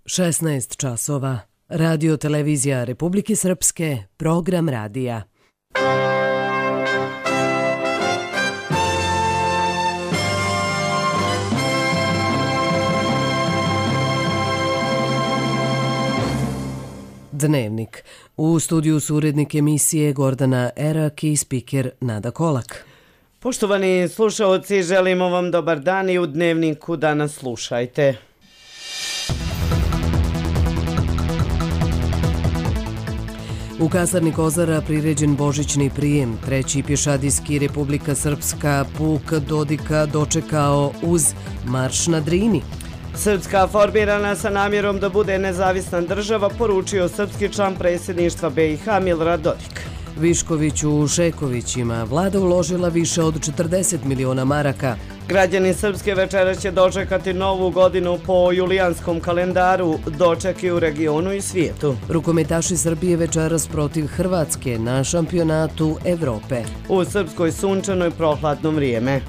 16 časova. Radio televizija Republike Srpske, program radija. Dnevnik. U studiju su urednik emisije Gordana Erak i spiker Nada Kolak. Poštovani slušaoci, želimo vam dobar dan i u Dnevniku danas slušajte. U kasarni Kozara priređen božićni prijem. Treći pješadijski Republika Srpska puk Dodika dočekao uz marš na Drini. Srpska formirana sa namjerom da bude nezavisna država, poručio srpski član predsjedništva BiH Milorad Dodik. Višković u Šekovićima. Vlada uložila više od 40 miliona maraka. Građani Srpske večeras će dočekati novu godinu po julijanskom kalendaru, dočeki u regionu i svijetu. Rukometaši Srbije večeras protiv Hrvatske na šampionatu Evrope. U Srpskoj sunčano i prohladno vrijeme.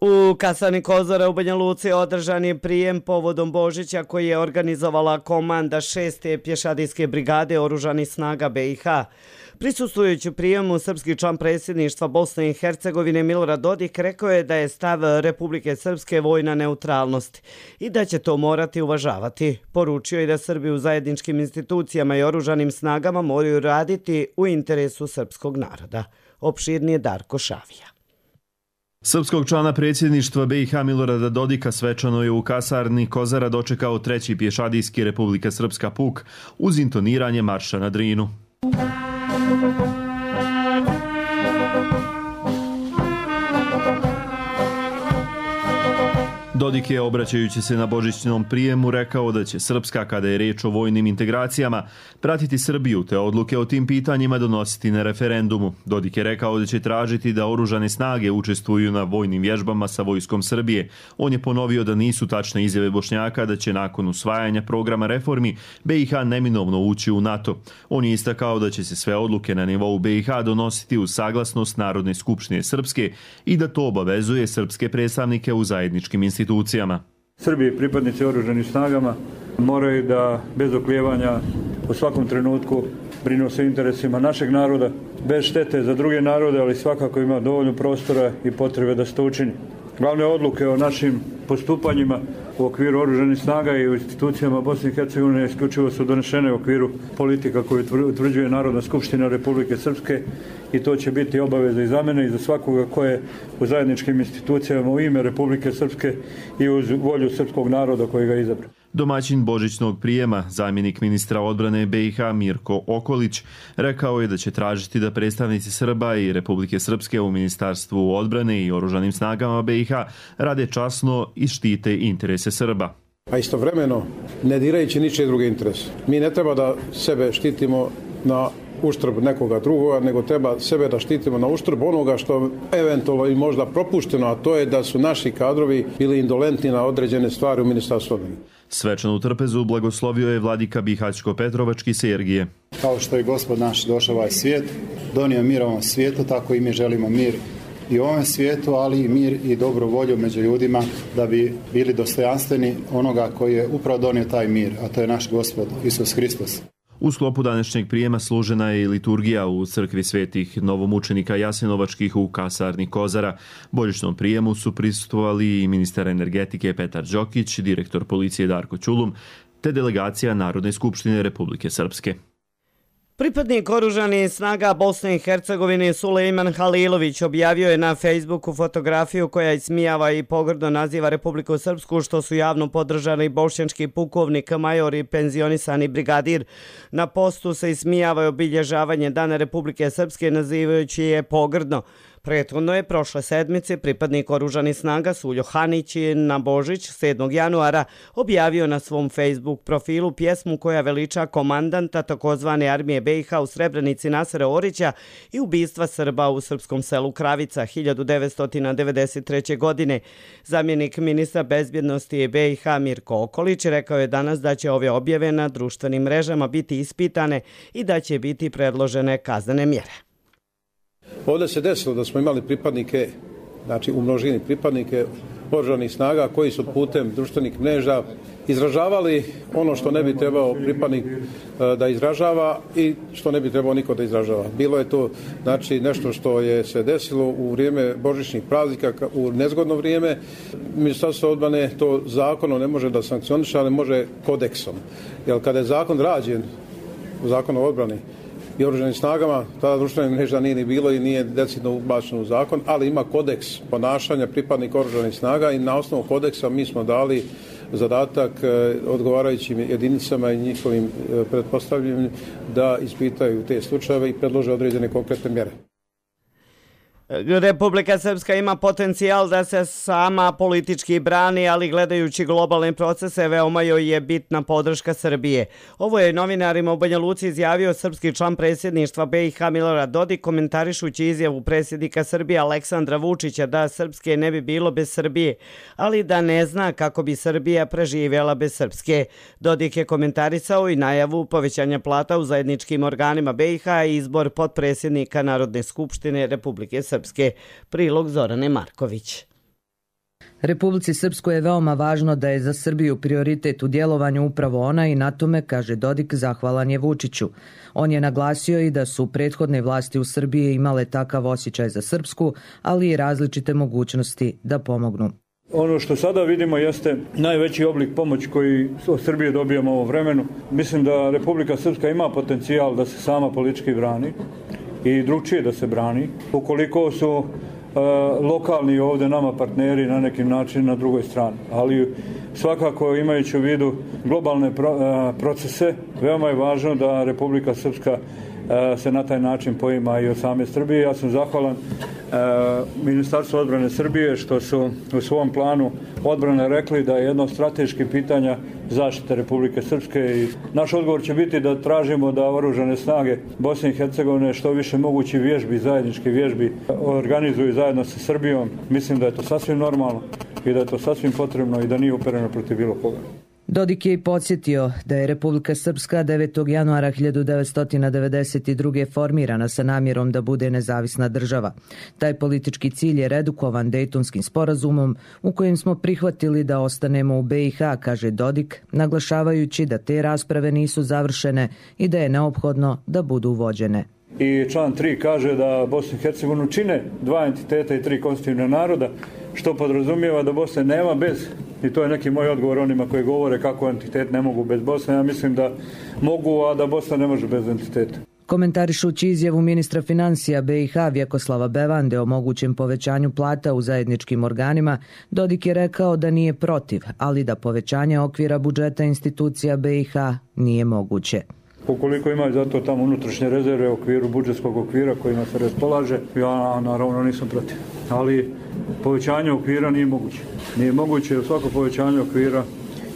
U kasarni Kozara u Banja Luci održan je prijem povodom Božića koji je organizovala komanda 6. pješadijske brigade oružanih snaga BiH. Prisustvujući prijemu, srpski član predsjedništva Bosne i Hercegovine Milorad Dodik rekao je da je stav Republike Srpske vojna neutralnost i da će to morati uvažavati. Poručio je da Srbi u zajedničkim institucijama i oružanim snagama moraju raditi u interesu srpskog naroda. Opširnije Darko Šavija. Srpskog člana predsjedništva BiH Milorada Dodika svečano je u kasarni Kozara dočekao treći pješadijski Republika Srpska puk uz intoniranje marša na Drinu. Dodik je, obraćajući se na božićnom prijemu, rekao da će Srpska, kada je riječ o vojnim integracijama, pratiti Srbiju te odluke o tim pitanjima donositi na referendumu. Dodik je rekao da će tražiti da oružane snage učestvuju na vojnim vježbama sa vojskom Srbije. On je ponovio da nisu tačne izjave Bošnjaka da će nakon usvajanja programa reformi BiH neminovno ući u NATO. On je istakao da će se sve odluke na nivou BiH donositi uz saglasnost Narodne skupštine Srpske i da to obavezuje srpske predstavnike u zajedničkim institucijama. Srbi i pripadnici oružanih snagama moraju da bez oklijevanja u svakom trenutku brinu se interesima našeg naroda, bez štete za druge narode, ali svakako ima dovoljno prostora i potrebe da se to učini. Glavne odluke o našim postupanjima u okviru oružanih snaga i u institucijama Bosne i Hercegovine isključivo su donešene u okviru politika koju utvrđuje Narodna skupština Republike Srpske i to će biti obaveza i za mene i za svakoga ko je u zajedničkim institucijama u ime Republike Srpske i uz volju srpskog naroda koji ga izabrao. Domaćin božićnog prijema, zamjenik ministra odbrane BiH Mirko Okolić, rekao je da će tražiti da predstavnici Srba i Republike Srpske u Ministarstvu odbrane i oružanim snagama BiH rade časno i štite interese Srba. A istovremeno ne dirajući ničije druge interese. Mi ne treba da sebe štitimo na uštrb nekoga drugoga, nego treba sebe da štitimo na uštrb onoga što eventualno i možda propušteno, a to je da su naši kadrovi bili indolentni na određene stvari u Ministarstvu odbrane. Svečanu trpezu blagoslovio je vladika Bihaćko-Petrovački Sergije. Kao što je Gospod naš došao ovaj svijet, donio mir ovom svijetu, tako i mi želimo mir i u ovom svijetu, ali i mir i dobru volju među ljudima da bi bili dostojanstveni onoga koji je upravo donio taj mir, a to je naš Gospod Isus Hristos. U sklopu današnjeg prijema služena je i liturgija u crkvi svetih novomučenika Jasenovačkih u kasarni Kozara. Božićnom prijemu su prisustvovali i ministar energetike Petar Đokić, direktor policije Darko Ćulum, te delegacija Narodne skupštine Republike Srpske. Pripadnik oružanih snaga Bosne i Hercegovine Sulejman Halilović objavio je na Facebooku fotografiju koja ismijava i pogrdno naziva Republiku Srpsku, što su javno podržali bošnjački pukovnik, major i penzionisani brigadir. Na postu se ismijava i obilježavanje Dana Republike Srpske nazivajući je pogrdno. Prethodno je prošle sedmice pripadnik oružanih snaga Suljo Hanić na Božić 7. januara objavio na svom Facebook profilu pjesmu koja veliča komandanta takozvane armije BiH u Srebrenici Nasera Orića i ubistva Srba u srpskom selu Kravica 1993. godine. Zamjenik ministra bezbjednosti BiH Mirko Okolić rekao je danas da će ove objave na društvenim mrežama biti ispitane i da će biti predložene kaznene mjere. Ovdje se desilo da smo imali pripadnike, znači u množini pripadnike oružanih snaga koji su putem društvenih mreža izražavali ono što ne bi trebao pripadnik da izražava i što ne bi trebao niko da izražava. Bilo je to znači nešto što je se desilo u vrijeme božićnih praznika u nezgodno vrijeme. Ministarstvo odbrane to zakonom ne može da sankcioniše, ali može kodeksom. Jer kada je zakon rađen, zakon o odbrani i oružanim snagama, tada društvena mreža nije ni bilo i nije decidno ubačeno u zakon, ali ima kodeks ponašanja pripadnika oružanih snaga i na osnovu kodeksa mi smo dali zadatak odgovarajućim jedinicama i njihovim pretpostavljenim da ispitaju te slučajeve i predlože određene konkretne mjere. Republika Srpska ima potencijal da se sama politički brani, ali gledajući globalne procese veoma joj je bitna podrška Srbije. Ovo je novinarima u Banja Luci izjavio srpski član predsjedništva BiH Milorad Dodik, komentarišući izjavu predsjednika Srbije Aleksandra Vučića da Srpske ne bi bilo bez Srbije, ali da ne zna kako bi Srbija preživjela bez Srpske. Dodik je komentarisao i najavu povećanja plata u zajedničkim organima BiH i izbor potpredsjednika Narodne skupštine Republike Srpske. Prilog Zorane Marković. Republici Srpskoj je veoma važno da je za Srbiju prioritet u djelovanju upravo ona i na tome, kaže Dodik, zahvalan je Vučiću. On je naglasio i da su prethodne vlasti u Srbiji imale takav osjećaj za Srpsku, ali i različite mogućnosti da pomognu. Ono što sada vidimo jeste najveći oblik pomoći koji od Srbije dobijamo u ovom vremenu. Mislim da Republika Srpska ima potencijal da se sama politički brani i drugčije da se brani. Ukoliko su lokalni ovdje nama partneri na neki način na drugoj strani. Ali svakako imajući u vidu globalne procese, veoma je važno da Republika Srpska se na taj način poima i od same Srbije. Ja sam zahvalan Ministarstvu odbrane Srbije što su u svom planu odbrane rekli da je jedno od strateških pitanja zaštite Republike Srpske i naš odgovor će biti da tražimo da oružane snage Bosne i Hercegovine što više mogući vježbi, zajednički vježbi organizuju zajedno sa Srbijom. Mislim da je to sasvim normalno i da je to sasvim potrebno i da nije upereno protiv bilo koga. Dodik je i podsjetio da je Republika Srpska 9. januara 1992. formirana sa namjerom da bude nezavisna država. Taj politički cilj je redukovan Dejtonskim sporazumom u kojem smo prihvatili da ostanemo u BiH, kaže Dodik, naglašavajući da te rasprave nisu završene i da je neophodno da budu vođene. I član 3 kaže da Bosnu i Hercegovinu čine dva entiteta i tri konstitutivna naroda, što podrazumijeva da Bosne nema bez, i to je neki moj odgovor onima koji govore kako entitet ne mogu bez Bosne, ja mislim da mogu, a da Bosna ne može bez entiteta. Komentarišući izjavu ministra financija BiH Vjekoslava Bevande o mogućem povećanju plata u zajedničkim organima, Dodik je rekao da nije protiv, ali da povećanje okvira budžeta institucija BiH nije moguće. Ukoliko imaju zato tamo unutrašnje rezerve u okviru budžetskog okvira kojima se raspolaže, ja naravno nisam protiv. Ali povećanje okvira nije moguće. Nije moguće svako povećanje okvira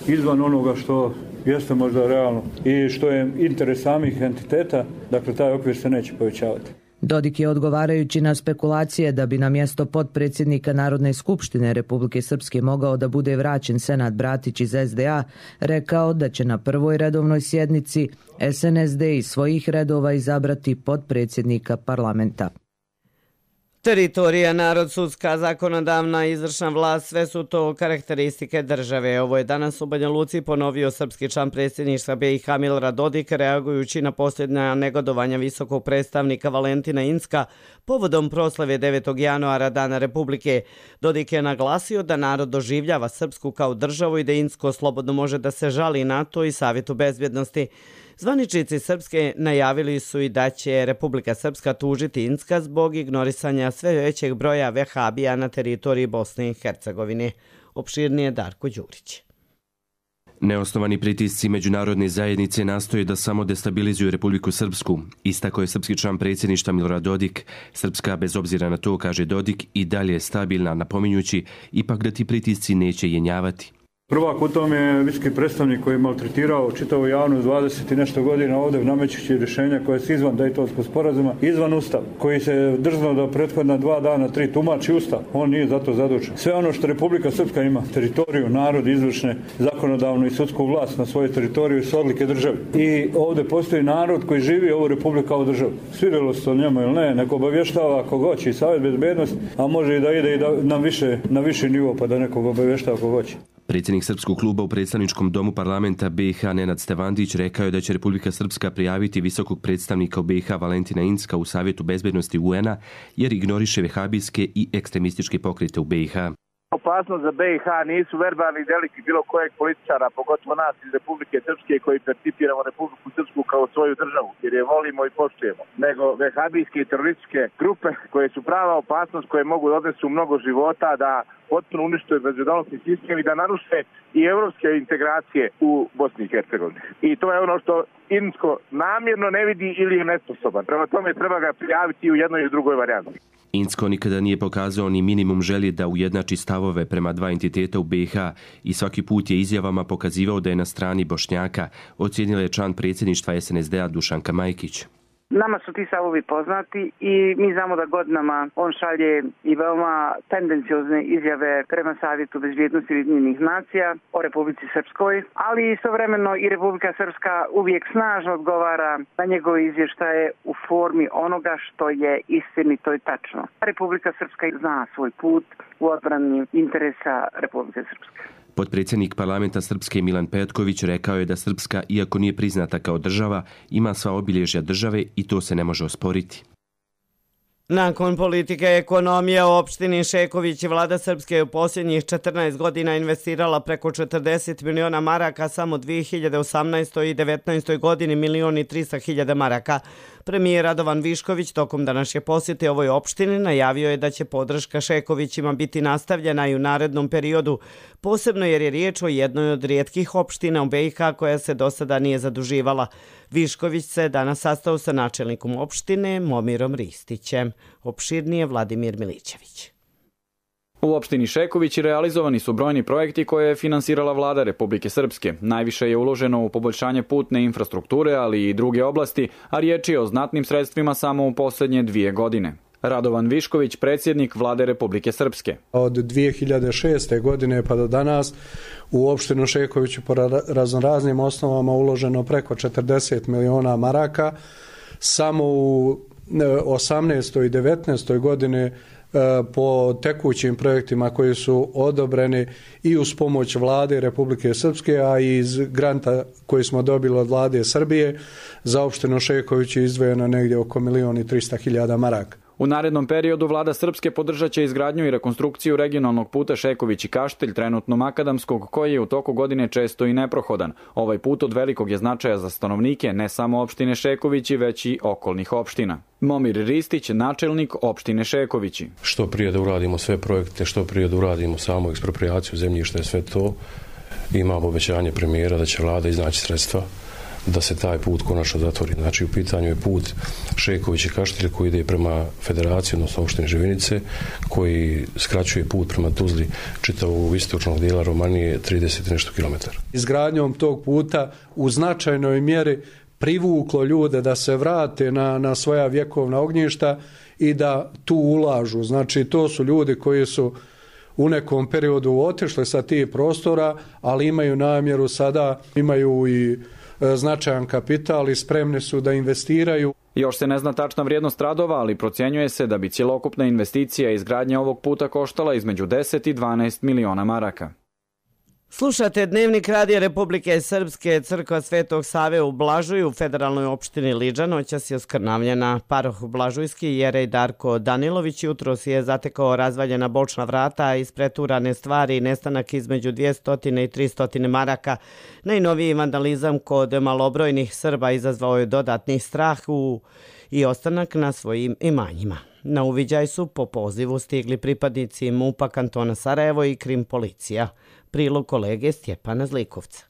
izvan onoga što jeste možda realno i što je interes samih entiteta, dakle taj okvir se neće povećavati. Dodik je odgovarajući na spekulacije da bi na mjesto potpredsjednika Narodne skupštine Republike Srpske mogao da bude vraćen Senad Bratić iz SDA, rekao da će na prvoj redovnoj sjednici SNSD iz svojih redova izabrati potpredsjednika parlamenta. Teritorija, narod, sudska, zakonodavna i izvršna vlast, sve su to karakteristike države. Ovo je danas u Banja Luci ponovio srpski član predsjedništva BiH Milorad Dodik, reagujući na posljednja negodovanja visokog predstavnika Valentina Incka povodom proslave 9. januara Dana Republike. Dodik je naglasio da narod doživljava Srpsku kao državu i da Incko slobodno može da se žali NATO i Savjetu bezbjednosti. Zvaničnici Srpske najavili su i da će Republika Srpska tužiti Incka zbog ignorisanja sve većeg broja vehabija na teritoriji Bosne i Hercegovine. Opširnije Darko Đurić. Neosnovani pritisci međunarodne zajednice nastoje da samo destabilizuju Republiku Srpsku. Istako je srpski član predsjedništva Milorad Dodik. Srpska, bez obzira na to, kaže Dodik, i dalje je stabilna, napominjući ipak da ti pritisci neće jenjavati. Prvak u tom je viski predstavnik koji je maltretirao čitavu javnost 20 i nešto godina ovdje namećući rješenja koje su izvan Dejtonskog sporazuma, izvan Ustava, koji se drznuo da prethodna 2 dana 3 tumači Ustav. On nije za to zadužen. Sve ono što Republika Srpska ima, teritoriju, narod, izvršne, zakonodavnu i sudsku vlast na svojoj teritoriju su odlike države. I ovdje postoji narod koji živi ovu Republiku kao državu. Svidjelo se to njemu ili ne, neko obavještava ako hoće i Savjet bezbednosti, a može i da ide i na viši nivo pa da nekog obavještava ako hoće. Predsjednik Srpskog kluba u predstavničkom domu parlamenta BiH Nenad Stevandić rekao je da će Republika Srpska prijaviti visokog predstavnika u BiH Valentina Incka u Savjetu bezbednosti UN-a jer ignoriše vehabijske i ekstremističke pokrete u BiH. Opasnost za BiH nisu verbalni delikti bilo kojeg političara, pogotovo nas iz Republike Srpske koji percipiramo Republiku Srpsku kao svoju državu, jer je volimo i poštujemo, nego vehabijske i terorističke grupe koje su prava opasnost, koje mogu odnesu mnogo života, da potpuno uništuje međunarodni sistem i da naruše i evropske integracije u Bosni i Hercegovini. I to je ono što Incko namjerno ne vidi ili je nesposoban. Prema tome treba ga prijaviti u jednoj i drugoj varijanti. Incko nikada nije pokazao ni minimum želje da ujednači stavove prema 2 entiteta u BiH i svaki put je izjavama pokazivao da je na strani Bošnjaka, ocijenila je član predsjedništva SNSD-a Dušanka Majkić. Nama su ti stavovi poznati i mi znamo da godinama on šalje i veoma tendenciozne izjave prema Savjetu bezbjednosti Ujedinjenih nacija o Republici Srpskoj, ali istovremeno i Republika Srpska uvijek snažno odgovara na njegove izvještaje u formi onoga što je istinito i tačno. Republika Srpska zna svoj put u odbrani interesa Republike Srpske. Potpredsjednik parlamenta Srpske Milan Petković rekao je da Srpska, iako nije priznata kao država, ima sva obilježja države i to se ne može osporiti. Nakon politike ekonomije u opštini Šeković, vlada Srpske je u posljednjih 14 godina investirala preko 40 miliona maraka, samo 2018. i 2019. godini 1.300.000 maraka. Premijer Radovan Višković tokom današnje posjete ovoj opštini najavio je da će podrška Šekovićima biti nastavljena i u narednom periodu, posebno jer je riječ o jednoj od rijetkih opština u BiH koja se do sada nije zaduživala. Višković se danas sastao sa načelnikom opštine Momirom Ristićem. Opširnije Vladimir Milićević. U opštini Šeković realizovani su brojni projekti koje je finansirala vlada Republike Srpske. Najviše je uloženo u poboljšanje putne infrastrukture, ali i druge oblasti, a riječ je o znatnim sredstvima samo u posljednje 2 godine. Radovan Višković, predsjednik vlade Republike Srpske. Od 2006. godine pa do danas u opštinu Šekoviću po raznoraznim osnovama uloženo preko 40 miliona maraka. Samo u 18. i 19. godine po tekućim projektima koji su odobreni i uz pomoć vlade Republike Srpske, a i iz granta koji smo dobili od vlade Srbije, za opštinu Šeković je izdvojeno negdje oko 1.300.000 maraka. U narednom periodu vlada Srpske podržat će izgradnju i rekonstrukciju regionalnog puta Šeković i Kaštelj, trenutno makadamskog, koji je u toku godine često i neprohodan. Ovaj put od velikog je značaja za stanovnike ne samo opštine Šekovići, već i okolnih opština. Momir Ristić, načelnik opštine Šekovići. Što prije da uradimo sve projekte, što prije da uradimo samu eksproprijaciju zemljišta i sve to, imamo obećanje premijera da će vlada iznaći sredstva da se taj put konačno zatvori. Znači, u pitanju je put Šeković i Kaštelj koji ide prema federaciji, odnosno opštine Živinice, koji skraćuje put prema Tuzli čitavog istočnog dijela Romanije 30 i nešto kilometara. Izgradnjom tog puta u značajnoj mjeri privuklo ljude da se vrate na svoja vjekovna ognjišta i da tu ulažu. Znači, to su ljudi koji su u nekom periodu otišli sa tih prostora, ali imaju namjeru sada, imaju i značajan kapital i spremni su da investiraju. Još se ne zna tačna vrijednost radova, ali procjenjuje se da bi cjelokupna investicija i izgradnja ovog puta koštala između 10 i 12 miliona maraka. Slušate Dnevnik Radija Republike Srpske. Crkva Svetog Save u Blažuju u federalnoj opštini Liđa noćas je oskrnavljena. Paroh Blažujski jerej Darko Danilović jutros je zatekao razvaljena bočna vrata, ispreturane stvari i nestanak između 200 i 300 maraka. Najnoviji vandalizam kod malobrojnih Srba izazvao je dodatni strah i ostanak na svojim imanjima. Na uviđaj su po pozivu stigli pripadnici MUP-a kantona Sarajevo i Krim policija. Prilog kolege Stjepana Zlikovca.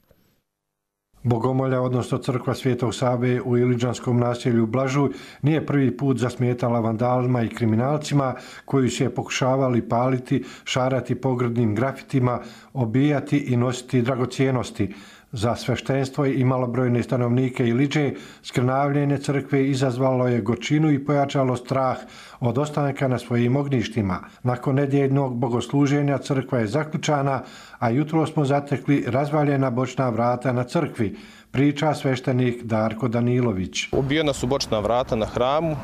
Bogomolja, odnosno crkva Svetog Save u Iliđanskom naselju Blažuj, nije prvi put zasmetala vandalima i kriminalcima koji su je pokušavali paliti, šarati pogrdnim grafitima, obijati i nositi dragocjenosti. Za sveštenstvo i malobrojne stanovnike Iliđe skrnavljenje crkve izazvalo je gorčinu i pojačalo strah od ostanka na svojim ognjištima. Nakon nedjeljnog bogosluženja crkva je zaključana, a jutro smo zatekli razvaljena bočna vrata na crkvi, priča sveštenik Darko Danilović. Ubijena su bočna vrata na hramu,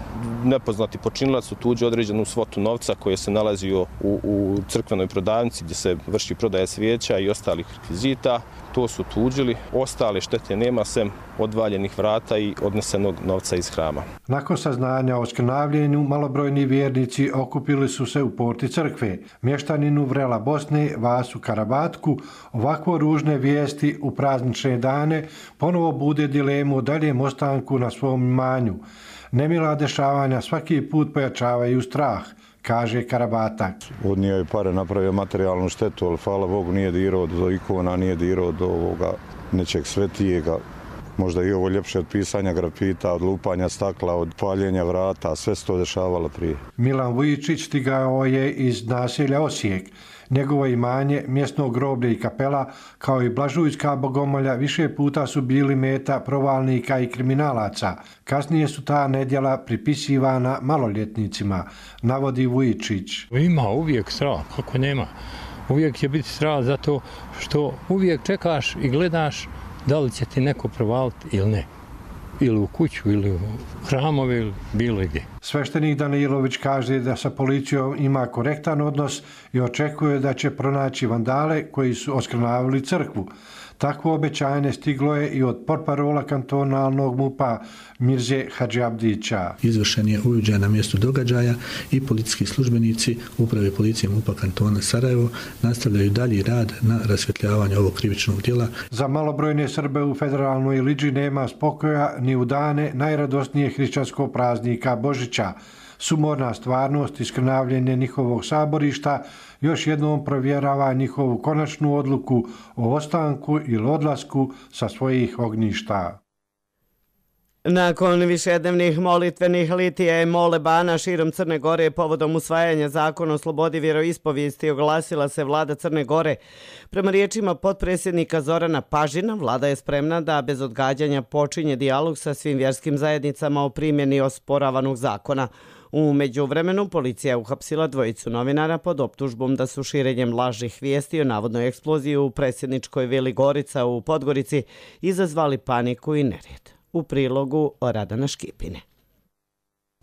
nepoznati počinilac otuđio određenu svotu novca koji se nalazio u crkvenoj prodavnici gdje se vrši prodaja svijeća i ostalih rekvizita. To su tuđili, ostale štete nema sem odvaljenih vrata i odnesenog novca iz hrama. Nakon saznanja o skrnavljenju, malobrojni vjernici okupili su se u porti crkve. Mještaninu Vrela Bosne, Vasu Karabatku, ovakvo ružne vijesti u praznične dane ponovo bude dilemu o daljem ostanku na svom imanju. Nemila dešavanja svaki put pojačavaju strah, kaže Karabatak. Odnio je pare, napravio materijalnu štetu, ali hvala Bogu nije dirao do ikona, nije dirao do ovoga nečeg svetijega. Možda i ovo ljepše od pisanja grafita, od lupanja stakla, od paljenja vrata, sve se to dešavalo prije. Milan Vujičić stigao je iz naselja Osijek. Njegovo imanje, mjesno groblje i kapela, kao i Blažujska Bogomolja, više puta su bili meta provalnika i kriminalaca. Kasnije su ta nedjela pripisivana maloljetnicima, navodi Vujičić. Ima uvijek strah, kako nema. Uvijek će biti strah zato što uvijek čekaš i gledaš da li će ti neko provaliti ili ne. Ili u kuću, ili u hramove, ili bilo gdje. Sveštenik Danilović kaže da sa policijom ima korektan odnos i očekuje da će pronaći vandale koji su oskrnavili crkvu. Takvo obećanje stiglo je i od portparola kantonalnog MUP-a Mirze Hadžiabdića. Izvršen je uviđaj na mjestu događaja i policijski službenici Uprave policije MUP-a kantona Sarajevo nastavljaju dalji rad na rasvjetljavanju ovog krivičnog djela. Za malobrojne Srbe u federalnoj Iliđi nema spokoja ni u dane najradosnije hrišćanskog praznika Božića. Sumorna stvarnost i skrnavljenje njihovog saborišta još jednom provjerava njihovu konačnu odluku o ostanku ili odlasku sa svojih ognjišta. Nakon višednevnih molitvenih litija i molebana širom Crne Gore povodom usvajanja zakona o slobodi vjeroispovijesti oglasila se vlada Crne Gore. Prema riječima potpredsjednika Zorana Pažina, vlada je spremna da bez odgađanja počinje dijalog sa svim vjerskim zajednicama o primjeni osporavanog zakona. U međuvremenu policija je uhapsila dvojicu novinara pod optužbom da su širenjem lažnih vijesti o navodnoj eksploziji u predsjedničkoj vili Gorica u Podgorici izazvali paniku i nered. U prilogu Radana Škipine.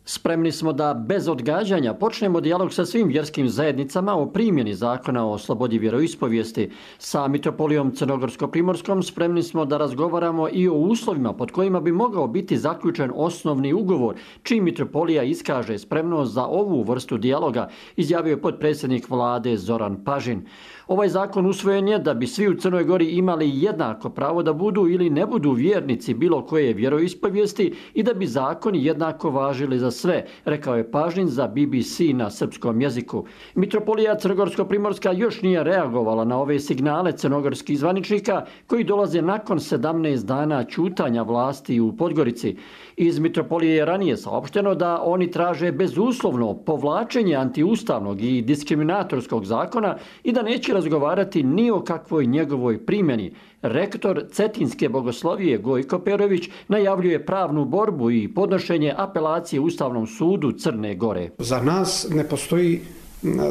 Spremni smo da bez odgađanja počnemo dijalog sa svim vjerskim zajednicama o primjeni zakona o slobodi vjeroispovijesti. Sa mitropolijom Crnogorsko-Primorskom spremni smo da razgovaramo i o uslovima pod kojima bi mogao biti zaključen osnovni ugovor, čiji mitropolija iskaže spremnost za ovu vrstu dijaloga, izjavio je potpredsjednik vlade Zoran Pažin. Ovaj zakon usvojen je da bi svi u Crnoj Gori imali jednako pravo da budu ili ne budu vjernici bilo koje vjeroispovijesti i da bi zakoni jednako važili za sve, rekao je Pažin za BBC na srpskom jeziku. Mitropolija Crnogorsko-Primorska još nije reagovala na ove signale crnogorskih zvaničnika koji dolaze nakon 17 dana ćutanja vlasti u Podgorici. Iz mitropolije je ranije saopšteno da oni traže bezuslovno povlačenje antiustavnog i diskriminatorskog zakona i da neće razgovarati ni o kakvoj njegovoj primjeni. Rektor Cetinske bogoslovije Gojko Perović najavljuje pravnu borbu i podnošenje apelacije Ustavnom sudu Crne Gore. Za nas ne postoji,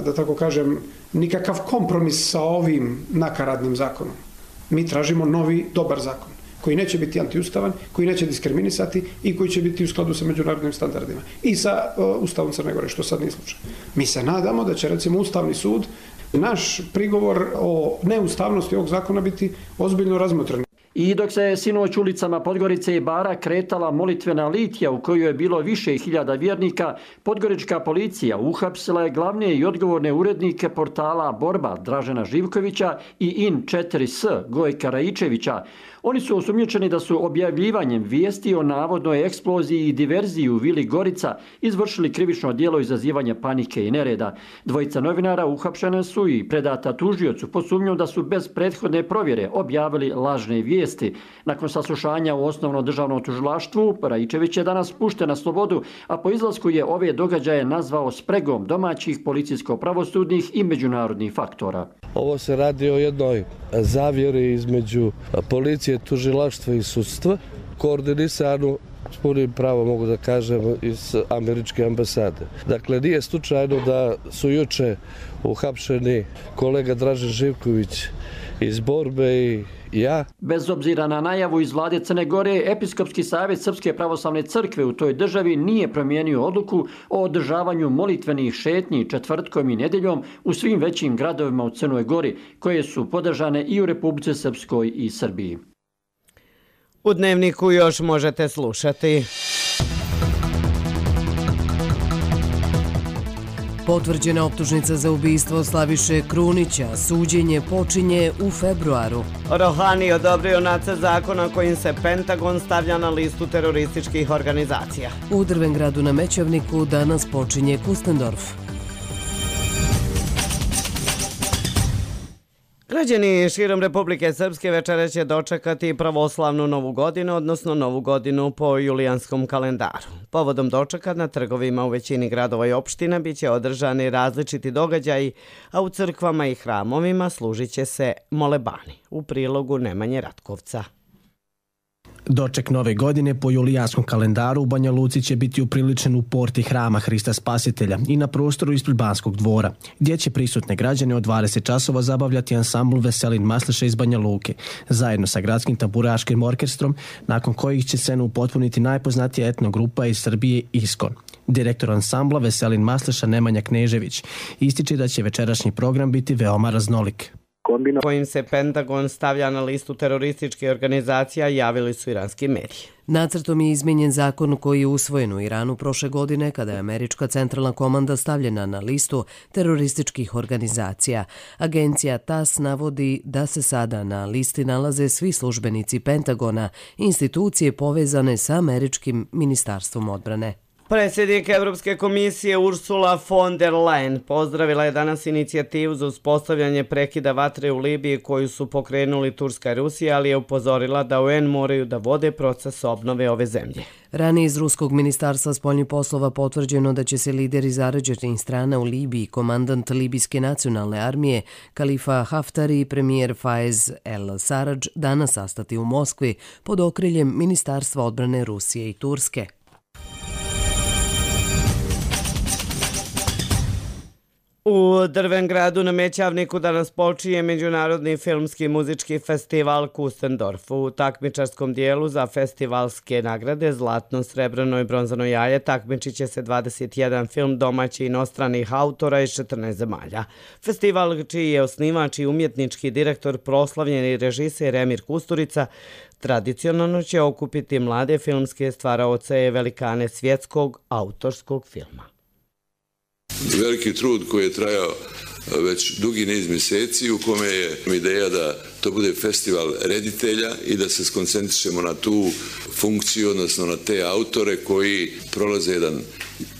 da tako kažem, nikakav kompromis sa ovim nakaradnim zakonom. Mi tražimo novi, dobar zakon koji neće biti antiustavan, koji neće diskriminisati i koji će biti u skladu sa međunarodnim standardima i sa Ustavom Crne Gore, što sad nije slučaj. Mi se nadamo da će recimo Ustavni sud naš prigovor o neustavnosti ovog zakona biti ozbiljno razmotren. I dok se sinoć ulicama Podgorice i Bara kretala molitvena litija u kojoj je bilo više hiljada vjernika, podgorička policija uhapsila je glavne i odgovorne urednike portala Borba Dražena Živkovića i In4S Gojka Rajičevića. Oni su osumnjičeni da su objavljivanjem vijesti o navodnoj eksploziji i diverziji u vili Gorica izvršili krivično djelo izazivanja panike i nereda. Dvojica novinara uhapšene su i predata tužiocu pod sumnjom da su bez prethodne provjere objavili lažne vijesti vijesti. Nakon saslušanja u osnovno državnom tužilaštvu, Raičević je danas pušten na slobodu, a po izlasku je ove događaje nazvao spregom domaćih policijsko-pravosudnih i međunarodnih faktora. Ovo se radi o jednoj zavjeri između policije, tužilaštva i sudstva, koordinisanu s punim pravom, mogu da kažem, iz američke ambasade. Dakle, nije slučajno da su juče uhapšeni kolega Dražen Živković iz Borbe i ja. Bez obzira na najavu iz vlade Crne Gore, Episkopski savjet Srpske pravoslavne crkve u toj državi nije promijenio odluku o održavanju molitvenih šetnji četvrtkom i nedjeljom u svim većim gradovima u Crnoj Gori, koje su podržane i u Republici Srpskoj i Srbiji. U Dnevniku još možete slušati. Potvrđena optužnica za ubistvo Slaviše Krunića. Suđenje počinje u februaru. Rohani odobrio nacrt zakona kojim se Pentagon stavlja na listu terorističkih organizacija. U Drvengradu na Mećavniku danas počinje Kustendorf. Građani širom Republike Srpske večera će dočekati pravoslavnu novu godinu, odnosno novu godinu po julijanskom kalendaru. Povodom dočeka na trgovima u većini gradova i opština biće održani različiti događaji, a u crkvama i hramovima služit će se molebani. U prilogu Nemanje Ratkovca. Doček nove godine po julijanskom kalendaru u Banja Luci će biti upriličen u porti hrama Hrista Spasitelja i na prostoru ispred Banskog dvora, gdje će prisutne građane od 20 časova zabavljati ansambl Veselin Masleša iz Banja Luke, zajedno sa gradskim tamburaškim orkestrom, nakon kojih će scenu upotpuniti najpoznatija etno grupa iz Srbije Iskon. Direktor ansambla Veselin Masleša Nemanja Knežević ističe da će večerašnji program biti veoma raznolik. Kojim se Pentagon stavlja na listu terorističkih organizacija, javili su iranski mediji. Nacrtom je izmenjen zakon koji je usvojen u Iranu prošle godine kada je američka centralna komanda stavljena na listu terorističkih organizacija. Agencija TAS navodi da se sada na listi nalaze svi službenici Pentagona, institucije povezane sa američkim ministarstvom odbrane. Predsjednik Evropske komisije Ursula von der Leyen pozdravila je danas inicijativu za uspostavljanje prekida vatre u Libiji koju su pokrenuli Turska i Rusija, ali je upozorila da UN moraju da vode proces obnove ove zemlje. Ranije iz Ruskog ministarstva spoljnih poslova potvrđeno da će se lideri zarađenih strana u Libiji, komandant Libijske nacionalne armije Kalifa Haftari i premijer Faiz el-Sarraj danas sastati u Moskvi pod okriljem Ministarstva odbrane Rusije i Turske. U Drvengradu na Mećavniku danas počinje Međunarodni filmski muzički festival Kustendorf. U takmičarskom dijelu za festivalske nagrade Zlatno, srebrno i bronzano jaje takmičit će se 21 film domaćih i inostranih autora iz 14 zemalja. Festival, čiji je osnivač i umjetnički direktor proslavljeni režiser Emir Kusturica, tradicionalno će okupiti mlade filmske stvaraoce i velikane svjetskog autorskog filma. Veliki trud koji je trajao već dugi niz mjeseci, u kome je ideja da to bude festival reditelja i da se skoncentrišemo na tu funkciju, odnosno na te autore koji prolaze jedan,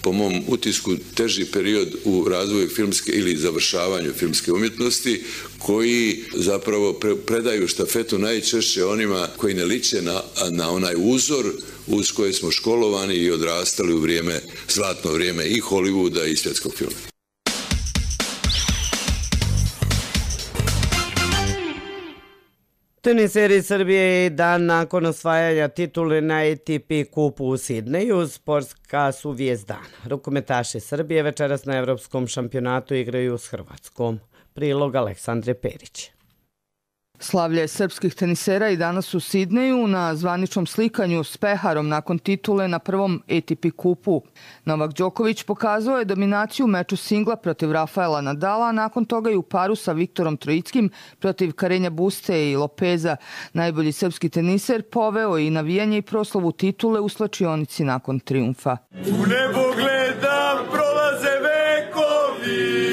po mom utisku, teži period u razvoju filmske ili završavanju filmske umjetnosti, koji zapravo predaju štafetu najčešće onima koji ne liče na onaj uzor uz koje smo školovani i odrastali u vrijeme, zlatno vrijeme i Hollywooda i svjetskog filma. Teniseri Srbije i dan nakon osvajanja titule na ATP kupu u Sidneju, sportska su vijest dana. Rukometaši Srbije večeras na evropskom šampionatu igraju s Hrvatskom. Prilog Aleksandre Perić. Slavlje srpskih tenisera i danas u Sidneju na zvaničnom slikanju s peharom nakon titule na prvom ATP kupu. Novak Đoković pokazao je dominaciju u meču singla protiv Rafaela Nadala, a nakon toga i u paru sa Viktorom Trojickim protiv Karenja Buste i Lopeza. Najbolji srpski teniser poveo i navijanje i proslavu titule u slačionici nakon trijumfa. U nebo gledam, prolaze vekovi.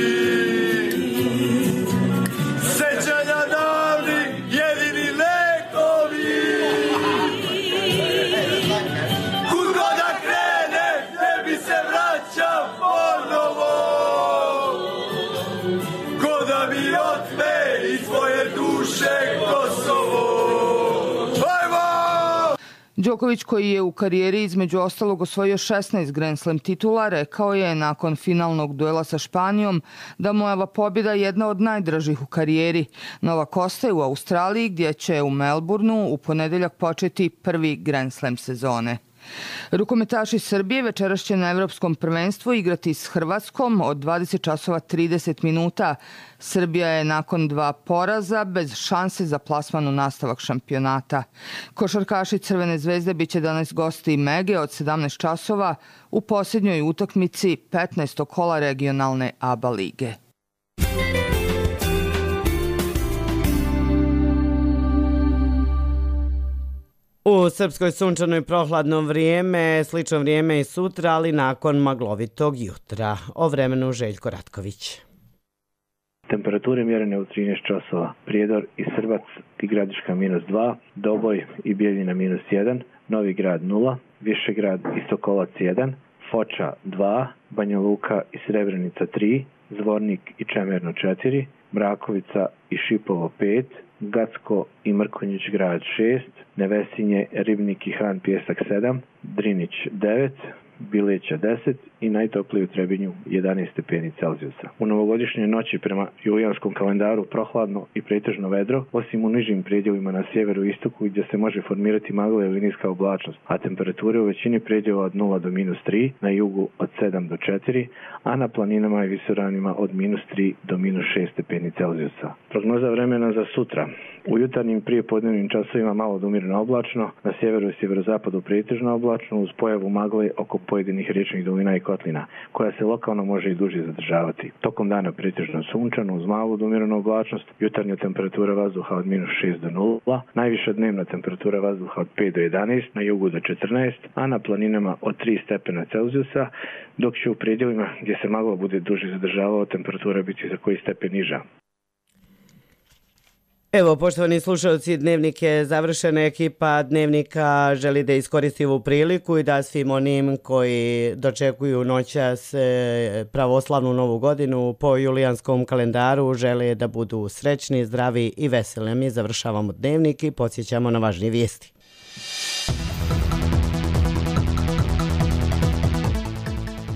Đoković, koji je u karijeri između ostalog osvojio 16 Grand Slam titula, rekao je nakon finalnog duela sa Španijom da mu je ova pobjeda jedna od najdražih u karijeri. Novak ostaje u Australiji gdje će u Melbourneu u ponedeljak početi prvi Grand Slam sezone. Rukometaši Srbije večeras će na Evropskom prvenstvu igrati s Hrvatskom od 20 časova 30 minuta. Srbija je nakon 2 poraza bez šanse za plasman u nastavak šampionata. Košarkaši Crvene zvezde biće danas gosti Mege od 17 časova u posljednjoj utakmici 15. kola regionalne ABA lige. U Srpskoj sunčano i prohladno vrijeme, slično vrijeme i sutra, ali nakon maglovitog jutra. O vremenu Željko Ratković. Temperature mjerene u 13 časova. Prijedor i Srbac i Gradiška -2, Doboj i Bijeljina -1, Novi Grad 0, Višegrad i Sokolac 1, Foča 2, Banja Luka i Srebrenica 3, Zvornik i Čemerno 4, Mrakovica i Šipovo 5, Gacko i Mrkonjić grad 6, Nevesinje, Ribnik i Han Pjesak 7, Drinić 9, Bileća 10 i najtopliji u Trebinju 11 stepeni Celzijusa. U novogodišnjoj noći prema julijanskom kalendaru prohladno i pretežno vedro, osim u nižim predjelima na sjeveru i istoku gdje se može formirati magla ili niska oblačnost, a temperature u većini predjela od 0 do -3, na jugu od 7 do 4, a na planinama i visoravnima od -3 do -6 stepeni Celzijusa. Prognoza vremena za sutra. U jutarnjim prijepodnevnim časovima malo do umjereno oblačno, na sjeveru i sjeverozapadu pretežno oblačno uz pojavu magle oko pojedinih riječnih dolina i kotlina, koja se lokalno može i duže zadržavati. Tokom dana pretežno sunčano uz malu do umjerenu oblačnost, jutarnja temperatura vazduha od -6 do 0, najviša dnevna temperatura vazduha od 5 do 11, na jugu do 14, a na planinama od 3 stepena Celzijusa, dok će u predjelima gdje se magla bude duže zadržavao temperatura biti za koji stepen niža. Evo, poštovani slušalci, Dnevnik je završen. Ekipa Dnevnika želi da iskoristi ovu priliku i da svim onim koji dočekuju noćas pravoslavnu novu godinu po julijanskom kalendaru žele da budu srećni, zdravi i veseli. Mi završavamo Dnevnik i podsjećamo na važnije vijesti.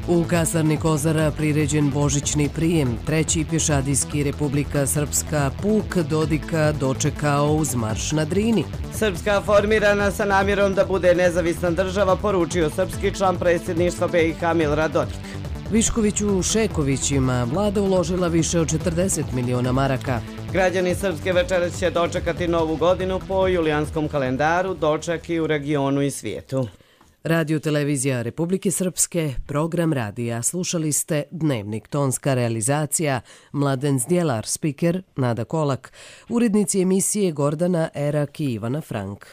U kasarni Kozara priređen božićni prijem. Treći pješadijski Republika Srpska puk Dodika dočekao uz marš na Drini. Srpska formirana sa namjerom da bude nezavisna država, poručio srpski član predsjedništva BiH Milorad Dodik. Viškoviću Šekovićima vlada uložila više od 40 miliona maraka. Građani Srpske večeras će dočekati novu godinu po julijanskom kalendaru, doček i u regionu i svijetu. Radio Televizija Republike Srpske, program radija. Slušali ste Dnevnik, tonska realizacija, Mladen Zdjelar, spiker Nada Kolak, urednici emisije Gordana Erak i Ivana Frank.